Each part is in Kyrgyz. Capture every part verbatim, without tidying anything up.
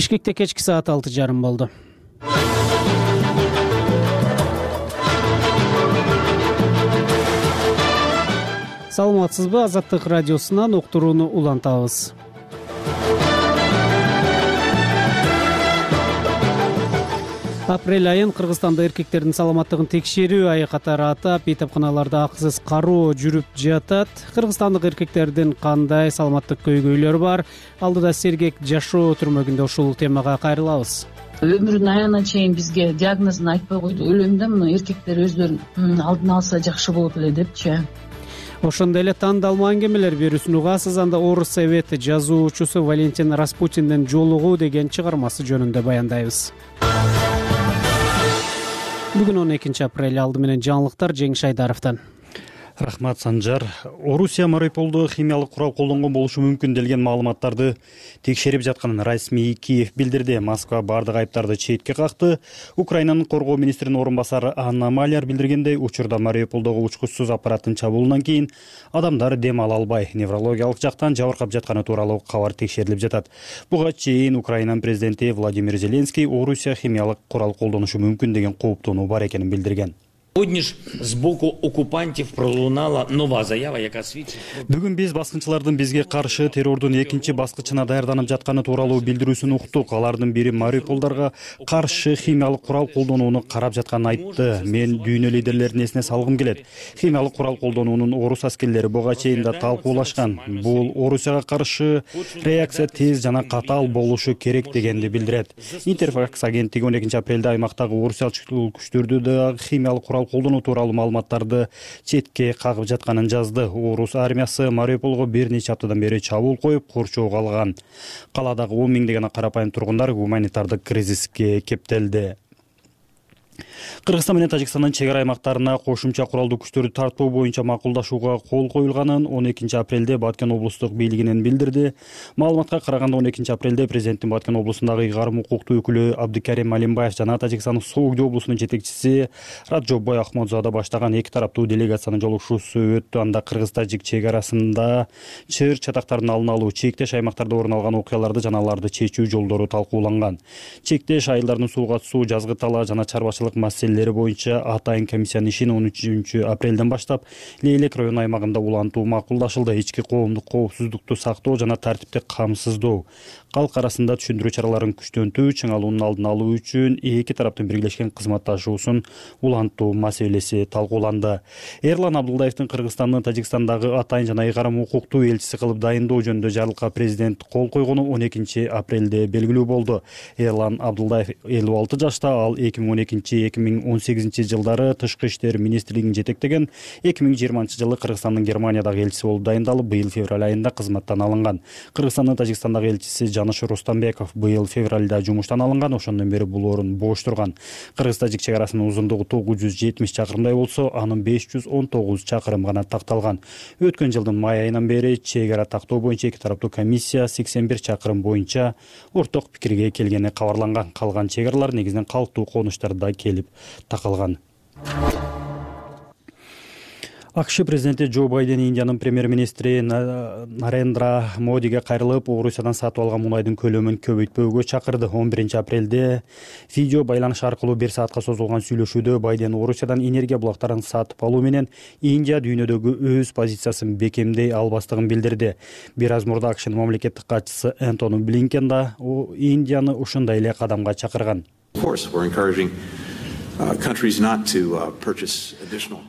Бишкекте кечки саат алты жарым болду. Саламатсызбы? Азаттык радиосунан уктурууну улантабыз. Апрель айын Кыргызстанда эркектердин саламаттыгын текшерүү айы катары атап, эйтепканаларда акысыз кароо жүрүп жатат. Кыргызстандык эркектердин кандай саламаттык көйгөйлөрү бар? Алдыда сергек жашоо түрмөгүндө ушул темага кайрылабыз. Өмүрүнүн аягына чейин бизге диагнозун айтпай койду. Өлөм да муну эркектер өздөрүн алдын алса жакшы болот эле депчи. Ошондой эле тандалма аңгемелер берүүсүн угасыз. Анда Орус Совет жазуучусу Валентин Распутиндин «Жолугуу» деген чыгармасы жөнүндө баяндайбыз. Бүгүн он экинчи апрель. Алды менен жаңылыктар Жеңиш Айдаровдон. Рахмат, Санжар. Орусия Мариуполдо химиялык курал колдонгон болушу мүмкүн делген маалыматтарды текшерип жатканын расмий Киев билдирди. Москва бардык айыптарды четке какты. Украинанын коргоо министринин орун басары Анна Маляр билдиргендей, учурда Мариуполдогу учкучсуз аппараттын чабуулунан кийин адамдар дем ала албай, неврологиялык жактан жабыркап жатканы тууралуу кабар текшерилип жатат. Буга чейин Украинанын президенти Владимир Зеленский Орусия химиялык курал колдонушу мүмкүн деген кооптонуу бар экенин билдирген. Сьогодні ж з боку окупантів пролунала нова заява, яка свідчить про... Бүгүн биз баскынчылардын бизге каршы террордун экинчи баскычына даярданып жатканы тууралуу билдирүүсүн уктук. Алардын бири Мариуполдарга каршы химиялык курал колдонууну карап жатканын айтты. Мен дүйнө лидерлерин эсине салгым келет. Химиялык курал колдонуунун орус аскерлери буга чейин да талкуулашкан. Бул Орусияга каршы реакция тез жана катаал болушу керек дегенди билдирет. Интерфакс агенттиги он экинчи апрелде аймактагы орусиялык күчтөрдү да химиялык курал колдонуу тууралуу маалыматтарды четке кагып жатканын жазды. Орус армиясы Мариуполго бир нече аптадан бери чабуул коюп, корчоого алган. Каладагы он миңдеген карапайым тургундар гуманитардык кризиске кептелди. Кыргызстан менен Тажикстандын чек ара аймактарына кошумча куралдуу күчтөрдү тартуу боюнча макулдашууга кол коюлганын он экинчи апрелде Баткен облустук бийлигинен билдирди. Маалыматка караганда он экинчи апрелде президенттин Баткен облусундагы ыйгарым укуктуу өкүлү Абдыкарим Алимбаев жана Тажикстандын Согду облусунун жетекчиси Раджоббой Ахмодзада баштаган эки тараптуу делегациянын жолугушуусу өттү. Анда кыргыз-тажик чек арасында чыр чатактардын алдын алуу, чектеш аймактарда орун алган окуяларды жана аларды чечүү жолдору талкууланган. Чектеш айылдардын сууга түсүү, жазгы талаа жана чарбачылык маселелери боюнча атайын комиссиянын ишин он үчүнчү апрелден баштап Лейлек район аймагында улантуу макулдашылды. Ички коомдук коопсуздукту сактоо жана тартипти камсыздоо, калк арасында түшүндүрүү чараларын күчтөнтүү, чыңалуунун алдын алуу үчүн эки тараптын биргелешкен кызматташуусун улантуу маселеси талкууланды. Эрлан Абдулдаевдин Кыргызстандын Тажикстандагы атайын жана ыйгарым укуктуу элчиси кылып дайындоо жөнүндө жарлыкка президент кол койгону он экинчи апрелде белгилүү болду. Эрлан Абдулдаев элүү алты жашта, ал эки миң он экинчи эки миң он сегизинчи жылдары Тышкы иштер министрлигин жетектеген, эки миң жыйырманчы жылы Кыргызстандын Германиядагы элчиси болуп дайындалып, быйыл февраль айында кызматтан алынган. Кыргызстандын Тажикстандагы элчиси Жаныш Рустамбеков быйыл февралда жумуштан алынган, ошондон бери бул орун бош турган. Кыргыз-тажик чек арасынын узундугу тогуз жүз жетимиш чакырымдай болсо, анын беш жүз он тогуз чакырым гана такталган. Өткөн жылдын май айынан бери чек ара тактоо боюнча эки тараптуу комиссия сексен бир чакырым боюнча орток пикирге келгени кабарланган. Калган чек аралар негизинен калктуу конуштарда келип такалган. АКШ президенти Джо Байден Индиянын премьер-министри Нарендра Модиге кайрылып, Орусиядан сатып алган мунайдын көлөмүн көбөйтпөөгө чакырды. он биринчи апрелде видео байланыш аркылуу бир саатка созулган сүйлөшүүдө Байден Орусиядан энергия булактарын сатып алуу менен Индия дүйнөдөгү өз позициясын бекемдей албастыгын билдирди. Бир аз мурда АКШнын мамлекеттик катчысы Энтони Блинкен да Индияны ушундай эле кадамга чакырган.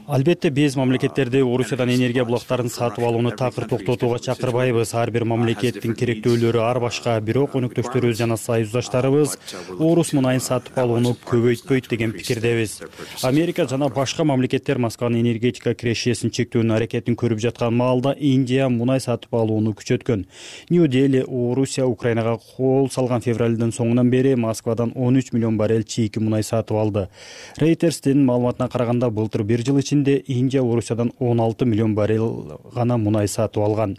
Албетте биз мамлекеттерди Орусиядан энергия булактарын сатып алууну такыр токтотууга чакырбайбыз. Ар бир мамлекеттин керектөөлөрү ар башка, бирок өнөктөштөрүбүз жана союздаштарыбыз Орус мунайын сатып алууну көбөйтпөйт деген пикирдебиз. Америка жана башка мамлекеттер Москванын энергетика кирешесин чектөөнүн аракетин көрүп жаткан маалда Индия мунай сатып алууну күчөткөн. Нью-Дели Орусия Украинага кол салган февралдын соңунан бери Москвадан он үч миллион баррель чийки мунай сатып алды. Reuters'тин маалыматына караганда былтыр бир жыл ичинде Индия Орусиядан он алты миллион баррель гана мунай сатып алган.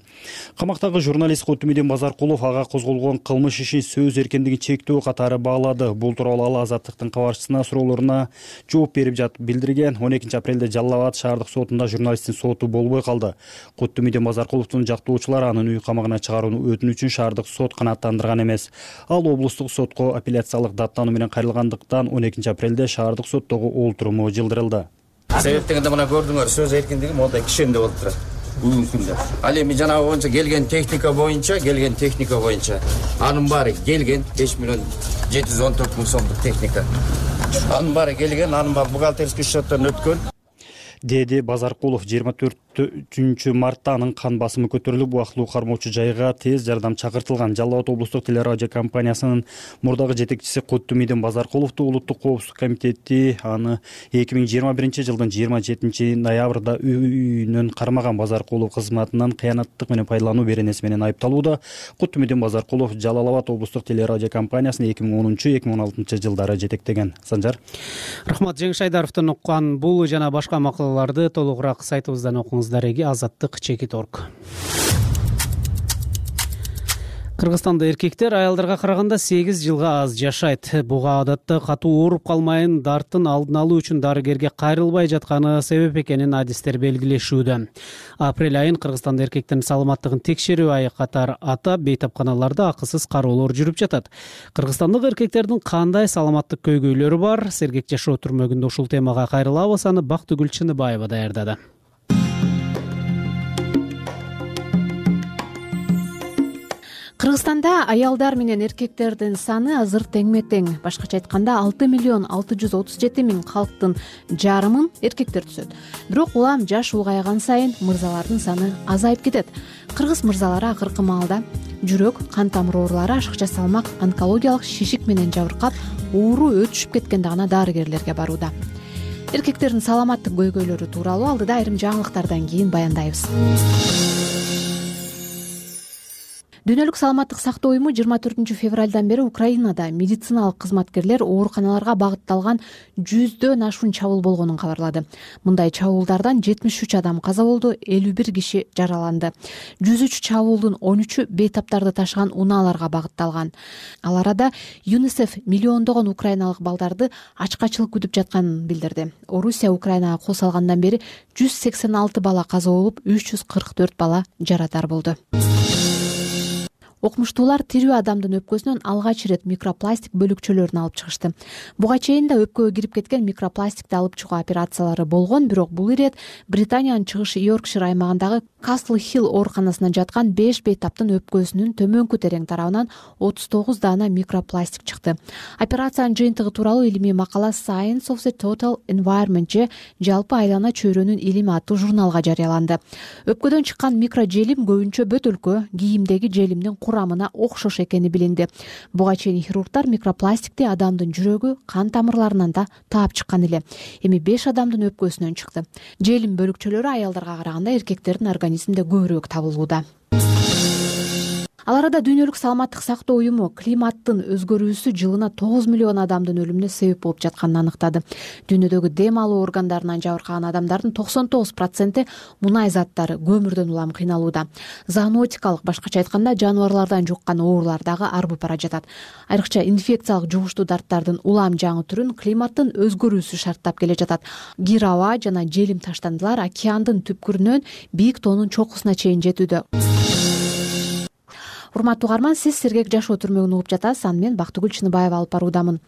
Камактагы журналист Куттумидин Базаркулов ага козголгон кылмыш иши сөз эркиндигин чектөө катары баалады. Бул тууралуу ал Азаттыктын кабарчысына суроолоруна жооп берип жатып билдирген. он экинчи апрелде Жалал Абад шаардык сотунда журналисттин соту болбой калды. Куттумидин Базаркуловдун жактоочулары анын үй камагына чыгарууну өтүнүчүн шаардык сот канааттандырган эмес. Ал облустук сотко апелляциялык даттануу менен кайрылгандыктан он экинчи апрелде шаардык соттогу олтуруму жылдырылды. Себеп дегенде мына көрдүңөр, сөз эркиндиги мондай кишенде болуп турат бүгүнкү күндө. Ал эми жанагы боюнча келген техника боюнча, келген техника боюнча анын баары келген беш миллион жети жүз он төрт миң сомдук техника. Анын баары келген, анын баары бухгалтерский счеттен өткөн. Деди Базаркулов жыйырма төртүнчү мартта анын кан басымы көтөрүлүп, убактылуу кармоочу жайга тез жардам чакыртылган. Жалал Абад облустук телерадио компаниясынын мурдагы жетекчиси Куттумидин Базаркуловду улуттук коопсуздук комитети аны эки миң жыйырма биринчи жылдын жыйырма жетинчи ноябрда үйүнөн кармаган. Базаркулов кызматынан кыянаттык менен пайдалануу беренеси менен айыпталууда. Куттумидин Базаркулов Жалал Абад облустук телерадио компаниясын эки миң онунчу эки миң он алтынчы жылдары жетектеген. Санжар. Рахмат. Жеңиш Айдаровдон уккан бул жана башка макалаларды толугураак сайтыбыздан окуңуздар. Эги Азаттык чекит точка орг. Кыргызстанда эркектер аялдарга караганда сегиз жылга аз жашайт. Буга адатта катуу ооруп калмайын, дарттын алдын алуу үчүн дарыгерге кайрылбай жатканы себеп экенин адистер белгилешүүдө. Апрель айын Кыргызстанда эркектердин саламаттыгын текшерүү айы катары атап, бейтапканаларда акысыз кароолор жүрүп жатат. Кыргызстандык эркектердин кандай саламаттык көйгөйлөрү бар? Сергек жашоо түрмөгүндө ушул темага кайрылабыз. Аны Бактыгүл Чыныбаева даярдады. Кыргызстанда аялдар менен эркектердин саны азыр теңме-тең. Башкача айтканда алты миллион алты жүз отуз жети миң калктын жарымын эркектер түзөт. Бирок улам жаш улгайган сайын мырзалардын саны азайып кетет. Кыргыз мырзалары акыркы маалда жүрөк, кан тамыр оорулары, ашыкча салмак, онкологиялык шишик менен жабыркап, оору өтүшүп кеткенде гана дарыгерлерге барууда. Эркектердин саламаттык көйгөйлөрү тууралуу алдыда айрым жаңылыктардан кийин баяндайбыз. Дүйнөлүк саламаттык сактоо уюму жыйырма төртүнчү февралдан бери Украинада медициналык кызматкерлер ооруканаларга багытталган жүздөн ашуун чабуул болгонун кабарлады. Мындай чабуулдардан жетимиш үч адам каза болду, элүү бир киши жараланды. жүз үч чабуулдун он үчү бейтаптарды ташыган унааларга багытталган. Ал арада ЮНИСЕФ миллиондогон украиналык балдарды ачкачылык күтүп жатканын билдирди. Орусия Украинага кол салгандан бери жүз сексен алты бала каза болуп, үч жүз кырк төрт бала жарадар болду. Окумуштуулар тирүү адамдын өпкөсүнөн алгач ирет микропластик бөлүкчөлөрүн алып чыгышты. Буга чейин да өпкөгө кирип кеткен микропластикти алып чыгуу операциялары болгон, бирок бул ирет Британиянын чыгыш Йоркшир аймагындагы Касл Хилл ооруканасына жаткан беш бейтаптын өпкөсүнүн төмөнкү терең тарабынан отуз тогуз даана микропластик чыкты. Операциянын жыйынтыгы тууралуу илимий макала Science of the Total Environment же жалпы айлана чөйрөнүн илими аттуу журналга жарыяланды. Өпкөдөн чыккан микрожелим көбүнчө бөтөлкө, кийимдеги желимдин курамына окшош экени билинди. Буга чейин хирургдар микропластикти адамдын жүрөгү, кан тамырларынан да таап чыккан эле. Эми беш адамдын өпкөсүнөн чыкты. Желим бөлүкчөлөрү аялдарга караганда эркектердин организминде көбүрөөк табылууда. Ал арада Дүйнөлүк саламаттык сактоо уюму климаттын өзгөрүүсү жылына тогуз миллион адамдын өлүмүнө себеп болуп жатканын аныктады. Дүйнөдөгү дем алуу органдарынан жабыркаган адамдардын токсон тогуз проценти мунай заттары, көмүрдөн улам кыйналууда. Зоонотикалык, башкача айтканда жаныбарлардан жуккан оорулар дагы арбып бара жатат. Айрыкча инфекциялык жугуштуу дарттардын улам жаңы түрүн климаттын өзгөрүүсү шарттап келе жатат. Кир аба жана желим таштандылар океандын түпкүрүнөн бийик тоонун чокусуна чейин жетүүдө. Урматтуу угарман, сиз Сергек жашоо түрмөгүн угуп жатасыз. Аны мен Бактыгүл Чыныбаева алып баруудамын.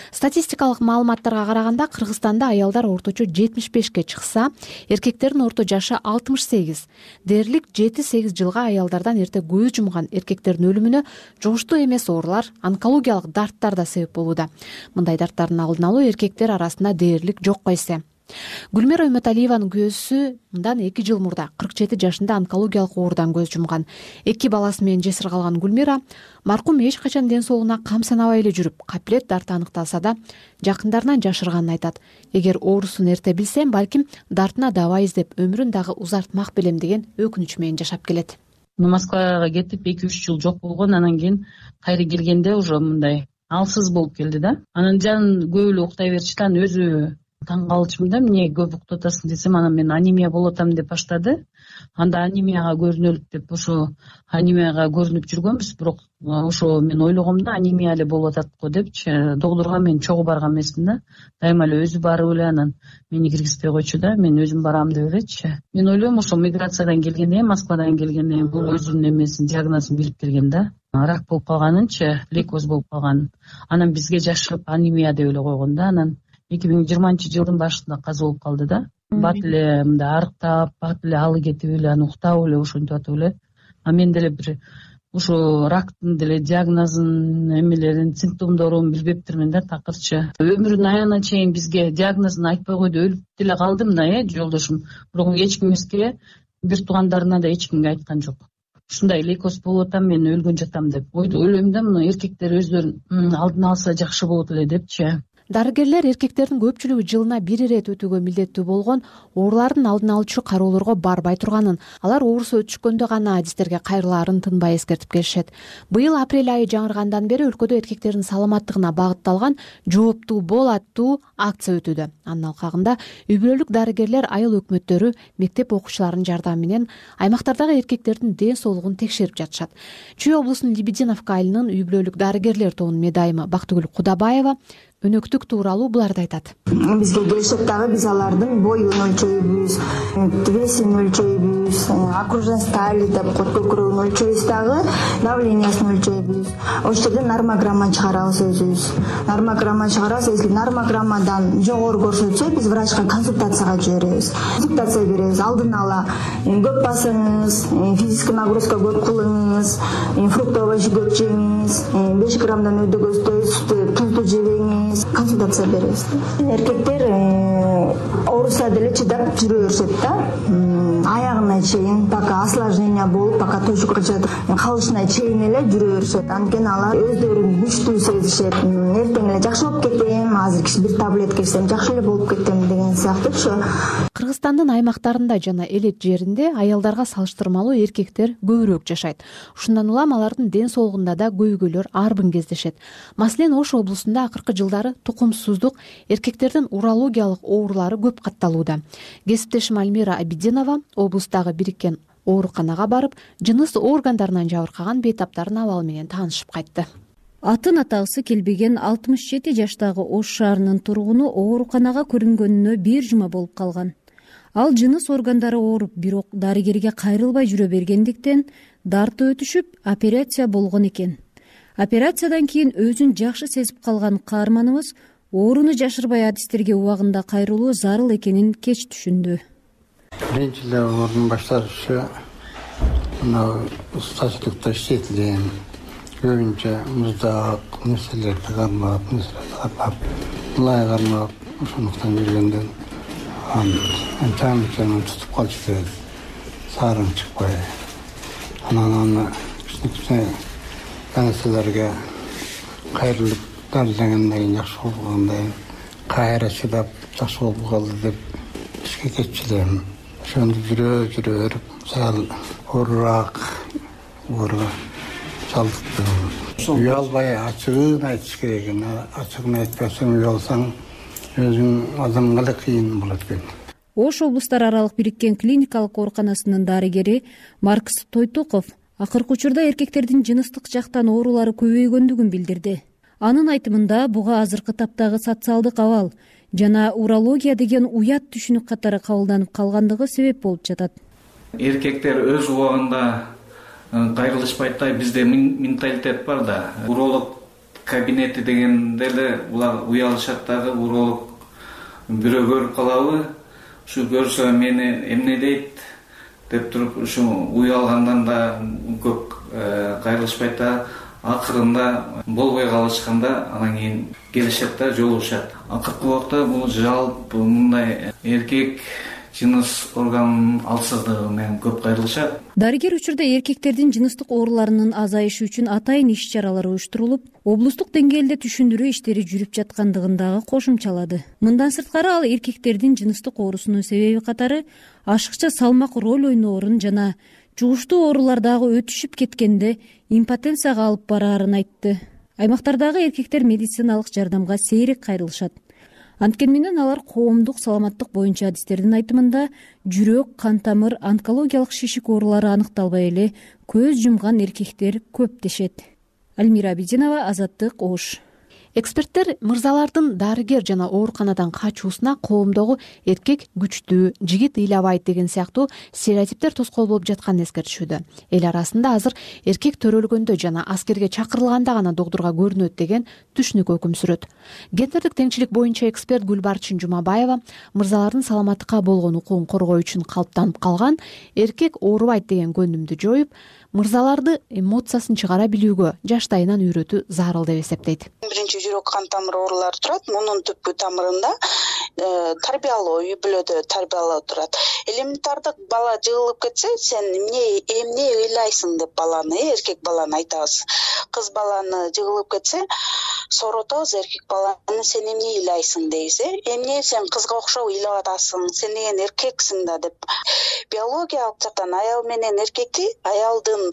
Статистикалык маалыматтарга караганда Кыргызстанда аялдар орточо жетимиш бешке чыкса, эркектердин орто жашы алтымыш сегиз. Дээрлик жети сегиз жылга аялдардан эрте көз жумган эркектердин өлүмүнө жугуштуу эмес оорулар, онкологиялык дарттар да себеп болууда. Мындай дарттардын алдын алуу эркектер арасында дээрлик жокко эсе. Гүлмира Үмөталиеванын күйөөсү мындан эки жыл мурда кырк жети жашында онкологиялык оорудан көз жумган. Эки баласы менен жесир калган Гүлмира маркум эч качан ден соолугуна кам санабай эле жүрүп, каплет дарты аныкталса да, жакындарынан жашырганын айтат. Эгер оорусун эрте билсем, балким дартына дабай издеп өмүрүн дагы узартмак белем деген өкүнүч менен жашап келет. Москвага кетип эки үч жыл жок болгон, анан кийин кайра келгенде уже мындай алсыз болуп келди да. Анан жан көп эле уктай берчү да, анан өзү таң калчумун да, эмне көп уктатасың десем, анан мен анемия болуп атам деп баштады. Анда анемияга көрүнөлүк деп ошо анемияга көрүнүп жүргөнбүз, бирок ошо мен ойлогом да, анемия эле болуп атат го депчи. Доктурга мен чогуу барган эмесмин да, дайыма эле өзү барып эле анан мени киргизбей койчу да, мен өзүм барам деп элечи. Мен ойлойм ошо миграциядан келгенден, Москвадан келгенден бул өзүнүн эмесин, диагнозун билип келген да. Рак болуп калганынчы, лейкоз болуп калган. Анан бизге жашырып анемия деп эле койгон да. Анан эки миң жыйырманчы жылдын башында каза болуп калды да. Бат эле мындай арыктап, бат эле алы кетип эле, анан уктап эле ошентип атып эле. А мен деле бир ошо рактын деле диагнозун, эмелерин, симптомдорун билбептирмин да, такырчы. Өмүрүнүн аягына чейин бизге диагнозун айтпай койду, өлүп деле калдым да, э, жолдошум. Бирок эч ким эмеске, бир туугандарына да эч кимге айткан жок. Ушундай лейкоз болуп атам, мен өлгөн жатам деп. Ойлойм да, мына эркектер өздөрүн алдын алса жакшы болот эле депчи. Дарыгерлер эркектердин көпчүлүгү жылына бир ирет өтүүгө милдеттүү болгон оорулардын алдын алуучу кароолорго барбай турганын, алар оорусу өтүшкөндө гана адистерге кайрылаарын тынбай эскертип келишет. Быйыл апрель айы жаңыргандан бери өлкөдө эркектердин саламаттыгына багытталган жооптуу бол аттуу акция өтүүдө. Анын алкагында үй бүлөлүк дарыгерлер айыл өкмөттөрү, мектеп окуучуларынын жардамы менен аймактардагы эркектердин ден соолугун текшерип жатышат. Чүй облусунун Лебединовка айылынын үй бүлөлүк дарыгерлер тобунун медайымы Бактыгүл Кудабаева өнөктүк тууралуу буларды айтат. Бизге келишет дагы, биз алардын боюн өлчөйбүз, весин өлчөйбүз, окружной стали деп кот көкүрөгүн өлчөйбүз дагы, давлениясын өлчөйбүз. Ошол жерде нормограмма чыгарабыз өзүбүз. Нормограмма чыгарабыз, если нормограммадан жогору көрсөтсө, биз врачка консультацияга жиберебиз. Консультация беребиз, алдын ала көп басыңыз, физический нагрузка көп кылыңыз, фруктовый овощ көп жеңиз, беш граммдан өйдөгөздөй тузду жебеңиз. Консультация беребиз. Эркектер ооруса деле чыдап жүрө беришет да. Аягына чейин, пока осложнение болуп, пока точка калышына чейин эле жүрө беришет. Анткени алар өздөрүн күчтүү сезишет. Эртең эле жакшы болуп кетем, азыр бир таблетка ичсем жакшы эле болуп кетем деген сыяктуучу. Кыргызстандын аймактарында жана элет жеринде аялдарга салыштырмалуу эркектер көбүрөөк жашайт. Ушундан улам алардын ден соолугунда да көйгөйлөр арбын кездешет. Маселен, Ош облусунда акыркы жылдары тукумсуздук, эркектердин урологиялык оорулары көп катталууда. Кесиптешим Альмира Абидинова облустагы бириккен ооруканага барып, жыныс органдарынан жабыркаган бейтаптардын абалы менен таанышып кайтты. Атын атагысы келбеген алтымыш жети жаштагы Ош шаарынын тургуну ооруканага көрүнгөнүнө бир жума болуп калган. Ал жыныс органдары ооруп, бирок дарыгерге кайрылбай жүрө бергендиктен дарты өтүшүп, операция болгон экен. Операциядан кийин өзүн жакшы сезип калган каарманыбыз ооруну жашырбай адистерге убагында кайрылуу зарыл экенин кеч түшүндү. Биринчи эле оорунун башталышы мына устачылыкта иштетилген, көбүнчө муздак нерселерди кармап, нерселерди кармап, мылай кармап, ошондуктан жүргөндөн анча-мынча тутуп калчу, саарың чыкпай. Анан аны кичине нерселерге кайрылып дарылангандан кийин жакшы болгондон кийин кайра чыдап жакшы болуп калды деп ишке кетчү элем. Ошондо жүрө жүрө берип сал оорураак ооруга чалдыктым. Уялбай ачыгын айтыш керек. Ачыгын айтпасаң, уялсаң өзүң адамга да кыйын болот экен. Ош облустар аралык бириккен клиникалык ооруканасынын дарыгери Маркс Тойтуков акыркы учурда эркектердин жыныстык жактан оорулары көбөйгөндүгүн билдирди. Анын айтымында буга азыркы таптагы социалдык абал жана урология деген уят түшүнүк катары кабылданып калгандыгы себеп болуп жатат. Эркектер өз убагында кайрылышпайт да, бизде менталитет бар да. Уролог кабинети дегенде эле булар уялышат дагы, уролог бирөө көрүп калабы, ушу көрсө мени эмне дейт деп туруп ушу уялгандан да көп кайрылышпайт да. Акырында болбой калышканда анан кийин келишет да, жолугушат. Акыркы убакта бул жалпы мындай эркек жыныс органынын алсыздыгы менен көп кайрылышат. Дарыгер учурда эркектердин жыныстык ооруларынын азайышы үчүн атайын иш-чаралар уюштурулуп, облустук деңгээлде түшүндүрүү иштери жүрүп жаткандыгын дагы кошумчалады. Мындан сырткары ал эркектердин жыныстык оорусунун себеби катары ашыкча салмак роль ойноорун жана жугуштуу оорулар дагы өтүшүп кеткенде импотенцияга алып бараарын айтты. аймактардагы эркектер медициналык жардамга сейрек кайрылышат. Анткени менен алар коомдук саламаттык боюнча адистердин айтымында жүрөк, кан тамыр, онкологиялык шишик оорулары аныкталбай эле көз жумган эркектер көп дешет. Альмира Абидинова, Азаттык, Ош. Эксперттер мырзалардын дарыгер жана ооруканадан качуусуна коомдогу эркек күчтүү, жигит ыйлабайт деген сыяктуу стереотиптер тоскоол болуп жатканын эскертишүүдө. Эл арасында азыр эркек төрөлгөндө жана аскерге чакырылганда гана догдурга көрүнөт деген түшүнүк өкүм сүрөт. Гендердик теңчилик боюнча эксперт Гүлбарчын Жумабаева мырзалардын саламаттыкка болгон укугун коргоо үчүн калыптанып калган эркек оорубайт деген көндүмдү жоюп, мырзаларды эмоциясын чыгара билүүгө жаштайынан үйрөтүү зарыл деп эсептейт. Биринчи жүрөк кан тамыр оорулары турат. Мунун түпкү тамырында тарбиялоо, үй бүлөдө тарбиялоо турат. Элементардык бала жыгылып кетсе, сен эмне эмне ыйлайсың деп баланы, эркек баланы айтабыз. Кыз баланы жыгылып кетсе, соротобуз эркек баланы, сен эмне ыйлайсың дейбиз. Эмне сен кызга окшоп ыйлап атасың, сен деген эркексиң да деп. Биологиялык жактан аял менен эркекти аялдын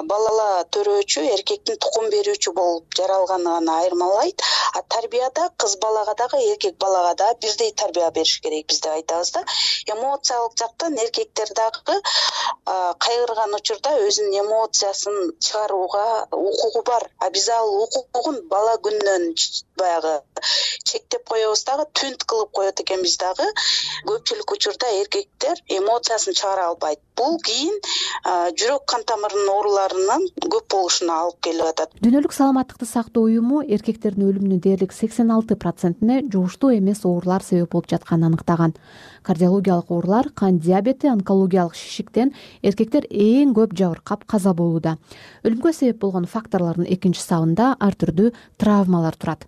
балала төрөөчү, эркектин тукум берүүчү болуп жаралганы гана айырмалайт. А тарбияда кыз балага дагы эркек балага да бирдей тарбия бериш керек биз деп айтабыз да. Эмоциялык жактан эркектер дагы кайгырган учурда өзүнүн эмоциясын чыгарууга укугу бар. А биз ал укугун бала күнүнөн баягы чектеп коебуз дагы, түнт кылып коет экенбиз дагы. Көпчүлүк учурда эркектер эмоциясын чыгара албайт. Бул кийин жүрөк кан тамырынын ооруларынын көп болушуна алып келип атат. Дүйнөлүк саламаттыкты сактоо уюму эркектердин өлүмүнүн дээрлик сексен алты процентине жугуштуу эмес оорулар себеп болуп жатканын аныктаган. Кардиологиялык оорулар, кан диабети, онкологиялык шишиктен эркектер эң көп жабыркап каза болууда. Өлүмгө себеп болгон факторлордун экинчи сабында ар түрдүү травмалар турат.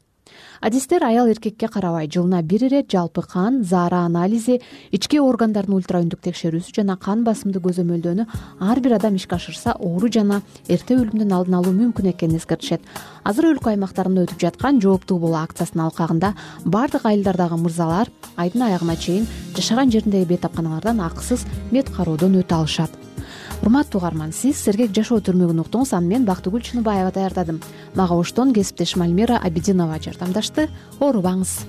Адистер аял эркекке карабай жылына бир ирет жалпы кан, заара анализи, ички органдардын ультраүндүк текшерүүсү жана кан басымды көзөмөлдөөнү ар бир адам ишке ашырса, оору жана эрте өлүмдүн алдын алуу мүмкүн экенин эскертишет. Азыр өлкө аймактарында өтүп жаткан жооптуу болуу акциясынын алкагында бардык айылдардагы мырзалар айдын аягына чейин жашаган жериндеги бет апканалардан акысыз мед кароодон өтө алышат. Урматтуу угарман, сиз сергек жашоо түрмөгүн уктуңуз. Аны мен Бактыгүл Чыныбаева даярдадым. Мага оштон кесиптешим Альмира Абидинова жардамдашты. Оорубаңыз.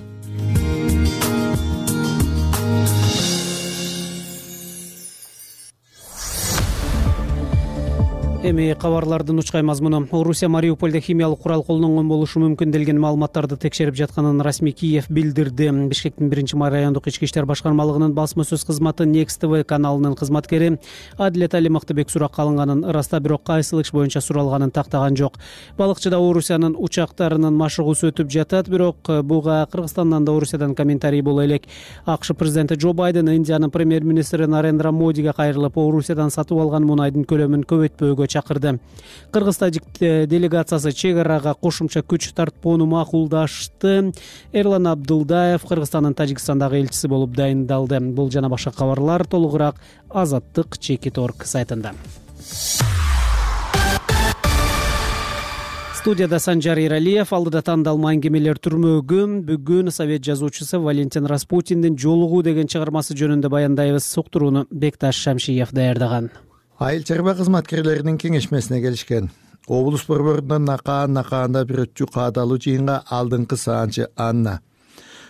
Эми кабарлардын учкай мазмуну. Орусия Мариуполдо химиялык курал колдонгон болушу мүмкүн делген маалыматтарды текшерип жатканын расмий Киев билдирди. Бишкектин биринчи райондук ички иштер башкармалыгынын басма сөз кызматы Next ти ви каналынын кызматкери Адилет Али Мактыбек суракка алынганын ыраста, бирок кайсыл иш боюнча суралганын тактаган жок. Балыкчыда Орусиянын учактарынын машыгуусу өтүп жатат, бирок буга Кыргызстандан да Орусиядан комментарий боло элек. АКШ президенти Джо Байден Индиянын премьер-министри Нарендра Модиге кайрылып, Орусиядан сатып алган мунайдын көлөмүн көбөйтпөөгө чакырды. Кыргыз тажик делегациясы чек арага кошумча күч тартпоону макулдашты. Эрлан Абдулдаев Кыргызстандын Тажикстандагы элчиси болуп дайындалды. Бул жана башка кабарлар толугураак Азаттык чекит точка орг сайтында. Студияда Санжар Иралиев, алдыда тандалма аңгемелер түрмөгү. Бүгүн Совет жазуучусу Валентин Распутиндин Жолугуу деген чыгармасы жөнүндө баяндайбыз. Суктурууну Бекташ Шамшиев даярдаган. Айыл чарба кызматкерлеринин кеңешмесине келишкен. Облус борборунан накаан накаанда бир өтчү каадалуу жыйынга алдыңкы саанчы Анна.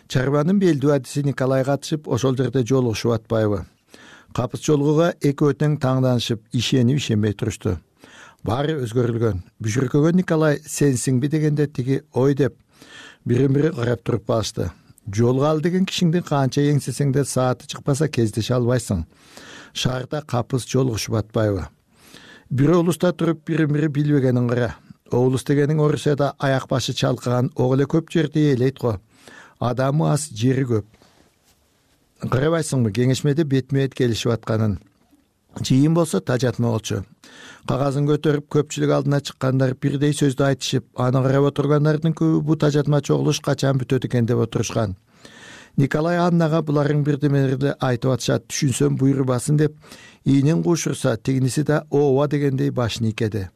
Чарбанын белдүү адиси Николай катышып, ошол жерде жолугушуп атпайбы. Капыс жолгууга эки өтөң таңданышып, ишенип ишенбей турушту. Баары өзгөрүлгөн. Бүжүркөгөн Николай сенсиңби дегенде тиги ой деп бирин бири карап туруп калышты. Жолго ал деген кишиңди канча эңсесең да сааты чыкпаса кездеше албайсың. Шаарда капыс жолугушуп атпайбы. Бир облуста туруп бирин бири билбегенин кара. Облус дегениң Орусияда аяк башы чалкаган ого эле көп жерди ээлейт го. Адамы аз, жери көп. Карабайсыңбы, кеңешмеде бетме бет келишип атканын. Жыйын болсо тажатма болчу. Кагазын көтөрүп көпчүлүк алдына чыккандар бирдей сөздү айтышып, аны карап отургандардын көбү бу тажатма чогулуш качан бүтөт экен деп отурушкан. Николай Аннага буларын бирдемелерди айтып атышат, түшүнсөм буйрубасын деп, ийинин куушурса, тигиниси да ооба дегендей башын ийкеди.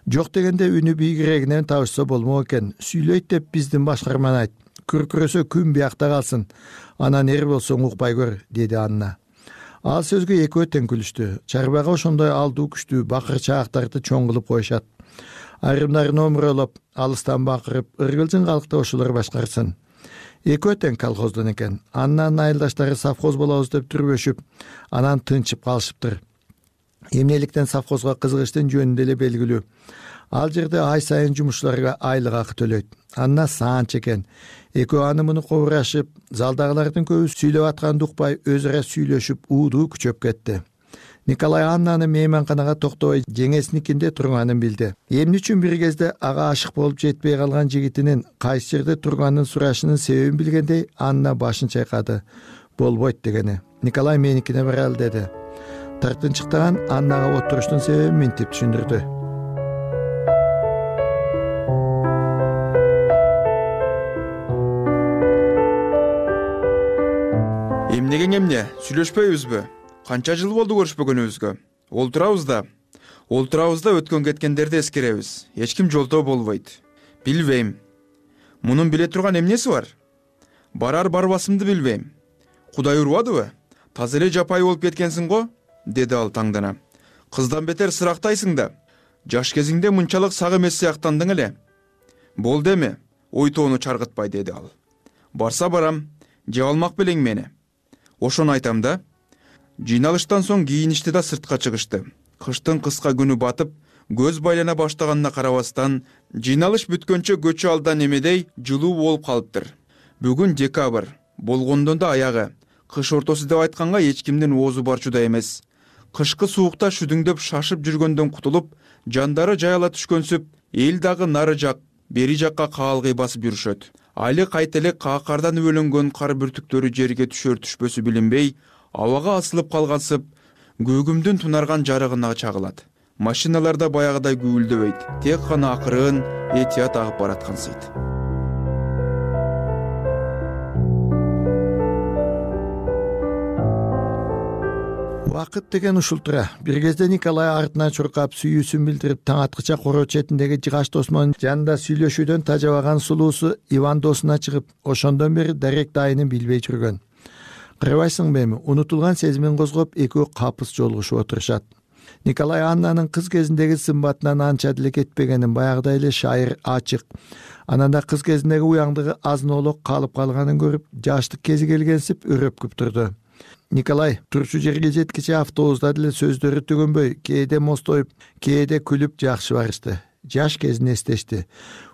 Жок дегенде үнү бийигирегинен табышса болмок экен. Сүйлөйт деп биздин башкарманы айт. Күркүрөсө күн биякта калсын. Анан эр болсоң укпай көр, деди Анна. Ал сөзгө эки өтөн күлүштү. Чарбага ошондой алдуу күчтүү бакыр чаактарды чоң кылып коюшат. айрымдарын омуролоп алыстан бакырып ыргылжың калкты ошолор башкарсын. Экөө тең колхоздон экен. Аннанын айылдаштары совхоз болобуз деп түрбөшүп, анан тынчып калышыптыр. Эмнеликтен совхозго кызыгыштын жөнүндө эле белгилүү. Ал жерде ай сайын жумушчуларга айлык акы төлөйт. Анна саанч экен. Экөө аны муну кобурашып, залдагылардын көбү сүйлөп атканды укпай өзүрө сүйлөшүп, уудуу күчөп кетти. Николай Аннаны мейманканага токтобой жеңесиникинде турганын билди. Эмне үчүн бир кезде ага ашык болуп жетпей калган жигитинин кайсы жерде турганын сурашынын себебин билгендей, Анна башын чайкады. Болбойт дегени. Николай меникине баралы деди. Тартынчыктаган Аннага отуруштун себебин минтип түшүндүрдү. Эмнеге эмне? Сүйлөшпөйбүзбү? Канча жыл болду көрүшпөгөнүбүзгө? Олтурабыз да. Олтурабыз да өткөн кеткендерди эскеребиз. Эч ким жолтоо болбойт. Билбейм. Мунун биле турган эмнеси бар? Барар барбасымды билбейм. Кудай урбадыбы? Таза эле жапайы болуп кеткенсиң го, деди ал таңдана. Кыздан бетер сырактайсың да. Жаш кезиңде мынчалык сак эмес сыяктандың эле. Болду эми, ой тоону чаргытпай, деди ал. Барса барам, жеп алмак белең мени. Ошону айтам да. Жыйналыштан соң кийиништи да сыртка чыгышты. Кыштын кыска күнү батып, көз байлана баштаганына карабастан, жыйналыш бүткөнчө көчү алдан эмедей жылуу болуп калыптыр. Бүгүн декабрь, болгондон да аягы. Кыш ортосу деп айтканга эч кимдин оозу барчуда эмес. Кышкы суукта шүдүңдөп шашып жүргөндөн кутулуп, жандары жайыла түшкөнсүп, эл дагы нары жак, бери жакка каалгый басып жүрүшөт. Али кайта эле каакардан өбөлөнгөн кар бүртүктөрү жерге түшөр түшпөсү билинбей, абага асылып калгансып, көгүмдүн тунарган жарыгына чагылат. Машиналарда баягыдай гүүлдөбөйт, тек гана акырын, этият агып бараткансыйт. Вакыт деген ушултура. Бир кезде Николай артынан чуркап, сүйүүсүн билдирип, таң аткыча короо четиндеги жыгач досмонун жанында сүйлөшүүдөн тажабаган сулуусу Иван досуна чыгып, ошондон бери дарек дайынын билбей жүргөн. Кырбайсыңбы эми? Унутулган сезимин козгоп, экөө капыс жолугушуп отурушат. Николай Аннанын кыз кезиндеги сымбатынан анча деле кетпегенин, баягыдай эле шайыр, ачык. Анан да кыз кезиндеги уяңдыгы азын-олок калып калганын көрүп, жаштык кези келгенсип өрөпкүп турду. Николай турчу жерге жеткиче автобуста деле сөздөрү төгөнбөй, кээде мостоюп, кээде күлүп жакшы барышты. Жаш кезин эстешти.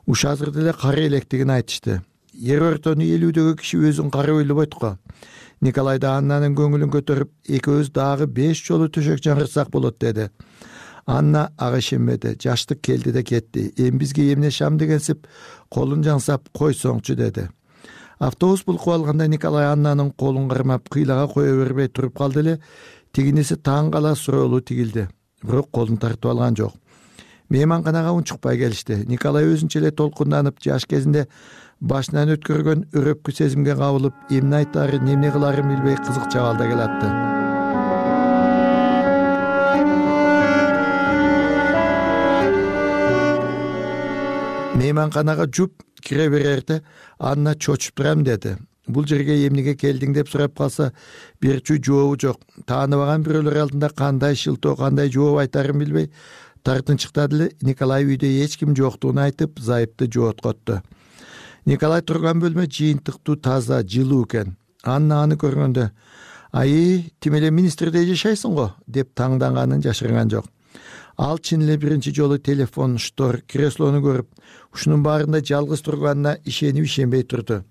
Уш азыр деле кара электигин айтышты. Ер ортону элүүдөгү киши өзүн кара ойлобойт го. Николай да Аннанын көңүлүн көтөрүп, экөөбүз дагы беш жолу төшөк жаңырсак болот деди. Анна ага ишенбеди. Жаштык келди да кетти. Эми бизге эмне шам дегенсип, колун жаңсап, койсоңчу деди. Автобус булкуп алганда Николай Аннанын колун кармап, кыйлага кое бербей туруп калды эле. Тигиниси таң кала суроолуу тигилди. Бирок колун тартып алган жок. Мейманканага унчукпай келишти. Николай өзүнчө эле толкунданып, жаш кезинде башынан өткөргөн өрөпкү сезимге кабылып, эмне айтаарын, эмне кылаарын билбей кызык чабалда келатты. Мейманканага жуп кире берерде Анна чочуп турам деди. Бул жерге эмнеге келдиң деп сурап калса, берчү жообу жок. Тааныбаган бирөөлөр алдында кандай шылтоо, кандай жооп айтаарын билбей тартынчыктады эле. Николай үйдө эч ким жоктугун айтып, зайыпты жооткотту. Николай турган бөлмө жыйынтыктуу, таза, жылуу экен. Анна аны көргөндө, "Ай, тим эле министрде жашайсың го?" деп таңданганын жашырган жок. Ал чын эле биринчи жолу телефон, штор, креслону көрүп, ушунун баарында жалгыз турганына ишенип ишенбей турду.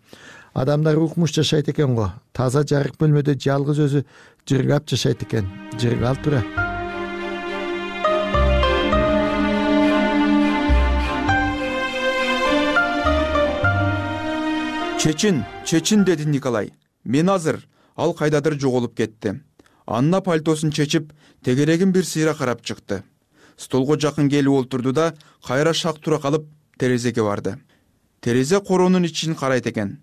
Адамдар укмуш жашайт экен го. Таза жарык бөлмөдө жалгыз өзү жыргап жашайт экен. Жыргал тура. Чечин, чечин, деди Николай. Мен азыр. Ал кайдадыр жоголуп кетти. Анна пальтосун чечип, тегерегин бир сыйра карап чыкты. Столго жакын келип олтурду да, кайра шак тура калып, терезеге барды. Терезе коронун ичин карайт экен.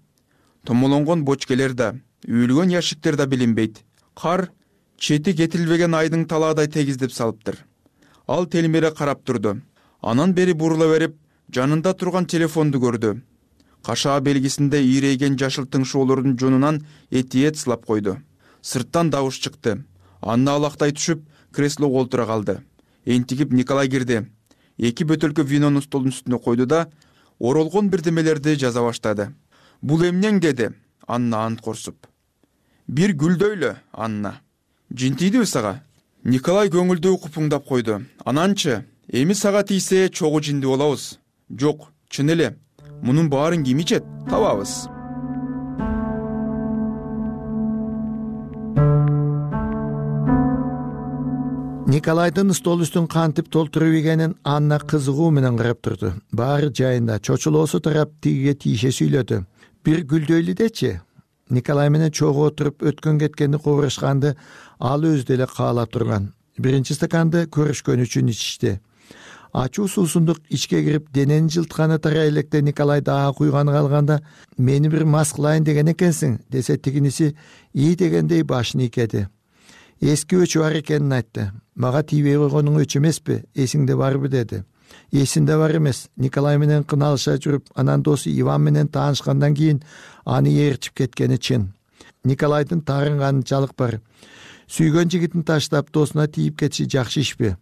Томолонгон бочкелер да, үйүлгөн яшиктер да билинбейт. Кар чети кетилбеген айдын талаадай тегиздеп салыптыр. Ал телмере карап турду. Анан бери бурула берип, жанында турган телефонду көрдү. Кашаа белгисинде ийрейген жашыл тыңшоолордун жонунан этиет сылап койду. Сырттан добуш чыкты. Анна алактай түшүп, креслого олтура калды. Энтигип Николай кирди. эки бөтөлкө винону столдун үстүнө койду да оролгон бирдемелерди жаза баштады. Бул эмнең деди Анна ант корсуп. Бир гүлдөйлө, Анна. Жинтийдиби сага? Николай көңүлдүү купуңдап койду. Ананчы, эми сага тийсе чогуу жинди болобуз. Жок, чын эле. Мунун баарын ким ичет? Табабыз. Николайдын стол үстүн кантип толтуруп ийгенин Анна кызыгуу менен карап турду. Баары жайында, чочулоосу тарап тигиге тийише сүйлөдү. Бир гүлдөйлү дечи. Николай менен чогуу отуруп өткөн кеткенди кубурушканды ал өзү деле каалап турган. Биринчи стаканды көрүшкөн үчүн ичишти. Ачуу суусундук ичке кирип денени жылтканы тарай электе Николай дагы куйганы калганда мени бир мас кылайын деген экенсиң десе, тигиниси ий дегендей башын ийкеди. Эски өчү бар экенин айтты. Мага тийбей койгонуң өчү эмеспи, эсиңде барбы деди. Эсинде бар эмес. Николай менен кыналыша жүрүп, анан досу Иван менен таанышкандан кийин аны ээрчип кеткени чын. Николайдын таарынганы жалык бар. Сүйгөн жигитин таштап досуна тийип кетиши жакшы ишпи?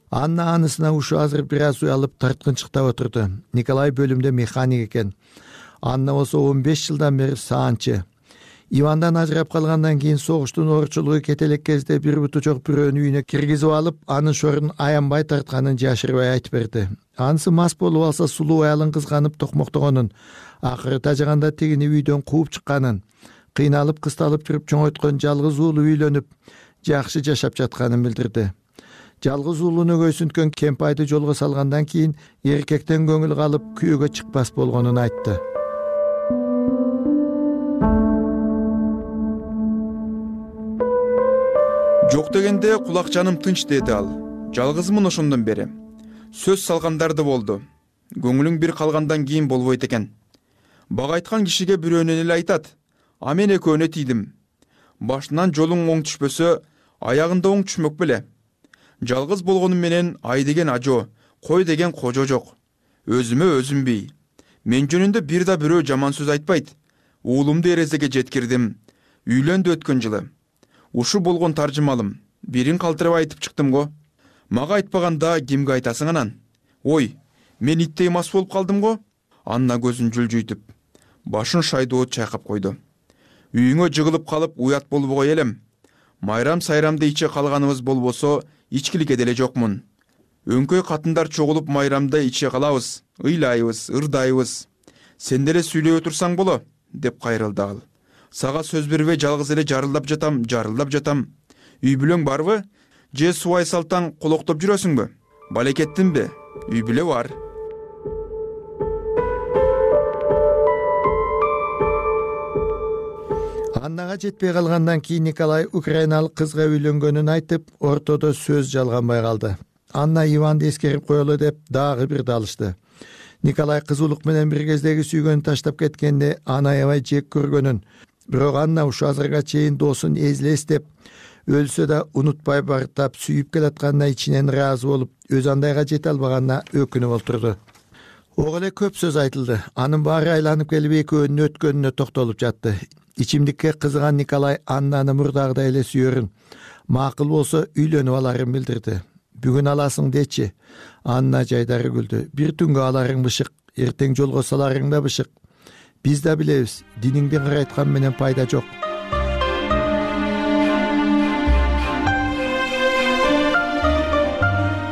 Анна анысына ушу азыр бир аз уялып тарткынчыктап отурду. Николай бөлүмдө механик экен. Анна болсо он беш жылдан бери саанчы. Ивандан ажырап калгандан кийин согуштун оорчулугу кете элек кезде бир буту жок бирөөнү үйүнө киргизип алып, анын шорун аянбай тартканын жашырбай айтып берди. Анысы мас болуп алса сулуу аялын кызганып токмоктогонун, акыры тажаганда тигини үйдөн кууп чыкканын, кыйналып кысталып жүрүп чоңойткон жалгыз уулу үйлөнүп, жакшы жашап жатканын билдирди. Жалгыз уулуну көйсүнткөн кемпайды жолго салгандан кийин эркектен көңүл калып күйөөгө чыкпас болгонун айтты. Жок дегенде кулак жаным тынч деди ал. Жалгызмын ошондон бери. Сөз салгандар да болду. Көңүлүң бир калгандан кийин болбойт экен. Бага айткан кишиге бирөөнөн эле айтат. А мен экөөнө тийдим. Башынан жолуң оң түшпөсө, аягында оң түшмөк беле. Жалгыз болгонум менен ай деген ажо, кой деген кожо жок. Өзүмө өзүм бий. Мен жөнүндө бир да бирөө жаман сөз айтпайт. Уулумду эрезеге жеткирдим. Үйлөндү өткөн жылы. Ушу болгон таржымалым. Бирин калтырып айтып чыктым го. Мага айтпаганда кимге айтасың анан? Ой, мен иттей мас болуп калдым го. Анна көзүн жүлжүйтүп, башын шайдоо чайкап койду. Үйүңө жыгылып калып уят болбогой элем. Майрам сайрамды иче калганыбыз болбосо, ичкиликке деле жокмун. Өңкөй катындар чогулуп майрамда иче калабыз, ыйлайбыз, ырдайбыз. Сен деле сүйлөй отурсаң боло, деп кайрылды ал. Сага сөз бербей жалгыз эле жарылдап жатам, жарылдап жатам. Үй бүлөң барбы? Же субай салтаң колоктоп жүрөсүңбү? Балекеттинби? Үй бүлө бар. Аннага жетпей калгандан кийин Николай украиналык кызга үйлөнгөнүн айтып, ортодо сөз жалганбай калды. Анна Иванды эскерип коелу деп дагы бир далышты. Николай кызуулук менен бир кездеги сүйгөнүн таштап кеткенде аны аябай жек көргөнүн, бирок Анна ушу азырга чейин досун эзлес деп, өлсө да унутпай бартап сүйүп келатканына ичинен ыраазы болуп, өз андайга жете албаганына өкүнүп олтурду. Ого эле көп сөз айтылды. Анын баары айланып келип экөөнүн өткөнүнө токтолуп жатты. Ичимдикке кызыган Николай Аннаны мурдагыдай эле сүйөрүн, макул болсо үйлөнүп аларын билдирди. Бүгүн аласың дечи. Анна жайдары күлдү. Бир түнгө аларың бышык, эртең жолго саларың да бышык. Биз да билебиз, диниңди карайткан менен пайда жок.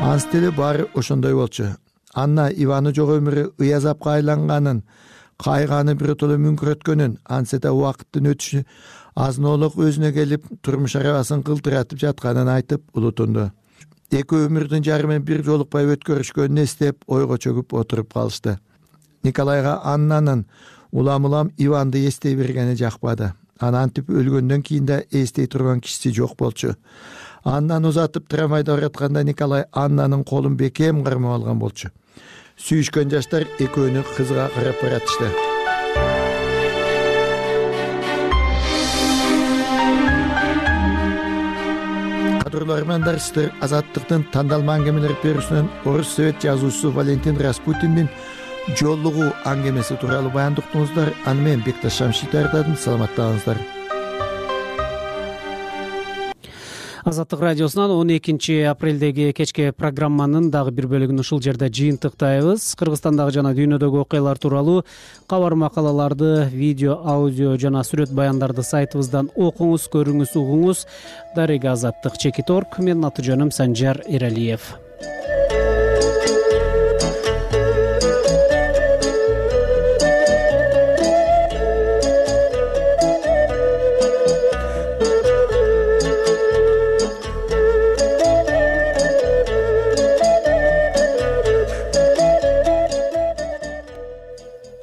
Анс деле баары ошондой болчу. Анна Иваны жок өмүрү ыязапка айланганын, кайганы биротоло мүңкүрөткөнүн, ансе да убакыттын өтүшү азынолук өзүнө келип, турмуш арабасын кылтыратып жатканын айтып улутунду. Эки өмүрдүн жарымын бир жолукпай өткөрүшкөнүн эстеп, ойго чөгүп отуруп калышты. Николайга Аннанын улам-улам Иванды эстей бергени жакпады. Анантип өлгөндөн кийин да эстей турган кишиси жок болчу. Аннаны узатып трамвайда баратканда Николай Аннанын колун бекем кармап алган болчу. Сүйүшкөн жаштар экөөнү кызга карап баратышты. Кадырлуу армандарчылар, Азаттыктын тандалма аңгемелер берүүсүнөн орус совет жазуучусу Валентин Распутиндин жолугу аңгемеси тууралуу баяндыктыңыздар. Аны мен Бекташ Шамшит даярдадым. Саламаттаңыздар. Азаттык радиосунан он экинчи апрелдеги кечки программанын дагы бир бөлүгүн ушул жерде жыйынтыктайбыз. Кыргызстандагы жана дүйнөдөгү окуялар тууралуу кабар макалаларды, видео, аудио жана сүрөт баяндарды сайтыбыздан окуңуз, көрүңүз, угуңуз. Дарега Азаттык чекит точка орг. Менин аты жөнүм Санжар Эралиев.